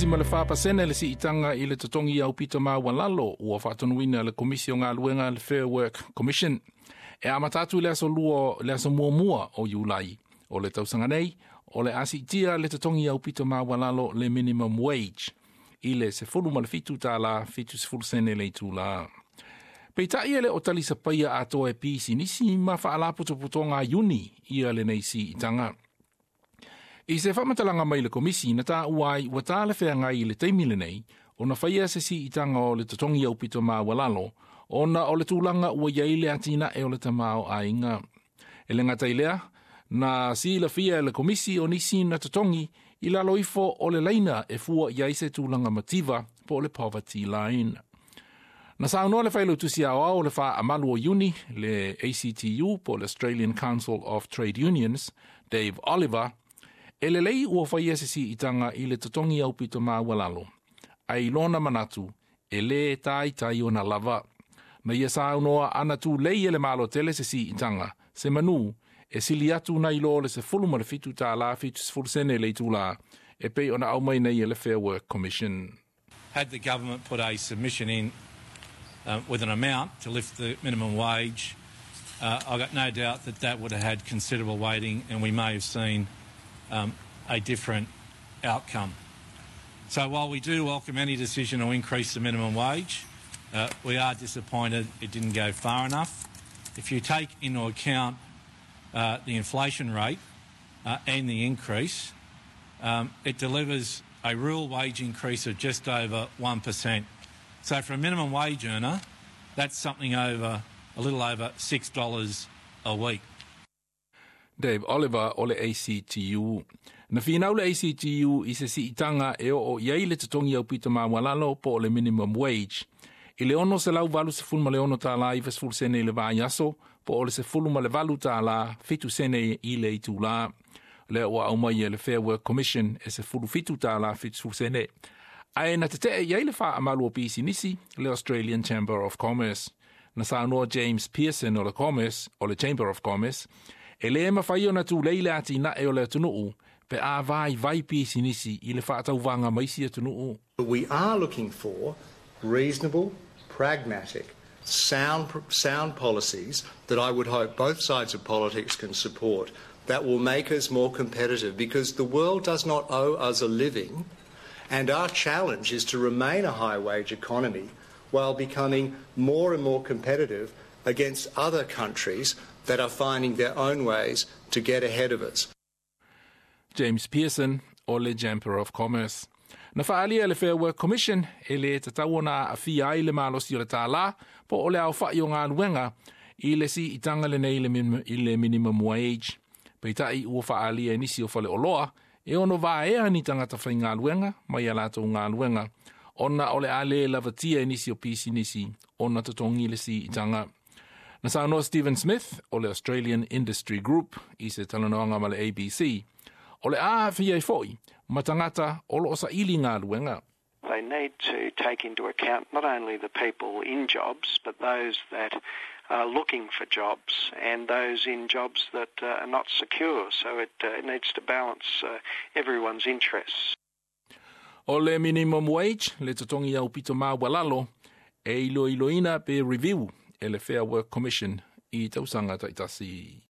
6.4% le siitaga i le totogi aupito maualalo ua faatonuina le Komisi o Galuega, le Fair Work Commission, e amata atu i le aso 2, le aso 1 o Iulai o le tausaga nei. O le a siitia le totogi aupito maualalo, le minimum wage, i le $17.70 le itulā. Peitai e le o talisapaia atoa e pisinisi ma faalapotopotoga iuni ia lenei siitaga. I se faamatalaga mai le Komisi na taua ai ua talafeagai i le taimi lenei ona faia se siitaga o le totogi aupito maualalo ona o le tulaga ua i ai le atinae o le tamaoaiga. E le gata i lea, na silafia e le Komisi o nisi na totogi i lalo ifo o le laina e fua i ai se tulaga mativa, po o le poverty line. Na saunoa le Failautusi Aoao o le Faamalu o Iuni, le ACTU po o le Australian Council of Trade Unions, Dave Oliver, e lelei ua faia se siitaga i le totogi aupito maualalo, ae i lona manatu e lē taitai ona lava. Na ia saunoa ana tulei e le Malo tele se siitaga se manu e sili atu nai lo le $17.70 le itulā e pei ona aumai nei e le Fair Work Commission. Had the government put a submission in with an amount to lift the minimum wage, I got no doubt that that would have had considerable weighting and we may have seen a different outcome. So while we do welcome any decision to increase the minimum wage, we are disappointed it didn't go far enough. If you take into account the inflation rate and the increase, it delivers a real wage increase of just over 1%. So for a minimum wage earner, that's something over a little over $6 a week. Dave Oliver o le ACTU. Na finau le ACTU i se siitaga e oo i ai le totogi aupito maualalo po o le minimum wage i le $686.90 i le vaiaso, po o le $18.07 i le itulā. Lea ua aumai e le Fair Work Commission e $17.70. Ae na tetee i ai le Faamalu o Pisinisi, le Australian Chamber of Commerce. Na saunoa James Pearson o le Commerce, o le Chamber of Commerce, e lē mafai ona tulei le atinae o le atunuu pe a vaivai pisinisi i le faatauvaga ma isi atunuu. We are looking for reasonable, pragmatic, sound policies that I would hope both sides of politics can support that will make us more competitive, because the world does not owe us a living, and our challenge is to remain a high wage economy while becoming more and more competitive against other countries that are finding their own ways to get ahead of us. James Pearson o le Chamber of Commerce. Na faaalia le Fair Work Commission e lē tatau ona aafia ai le malosi o le tālā po o le aofa'i o galuega i le siitaga lenei i le minimum wage. Peitai ua faaalia e nisi o faleoloa e ono vaea ni tagata faigaluega mai a latou galuega ona o le a lē lavatia e nisi o pisinisi ona totogi le siitaga. Na saunoa Stephen Smith o le Australian Industry Group i se talanoaga ma le ABC, o le a aafia ai fo'i ma tagata o loo saili galuega. They need to take into account not only the people in jobs, but those that are looking for jobs and those in jobs that are not secure. So it needs to balance everyone's interests. O le minimum wage, le totogi aupito maualalo, e iloiloina pe review e le Fair Work Commission i tausaga taitasi.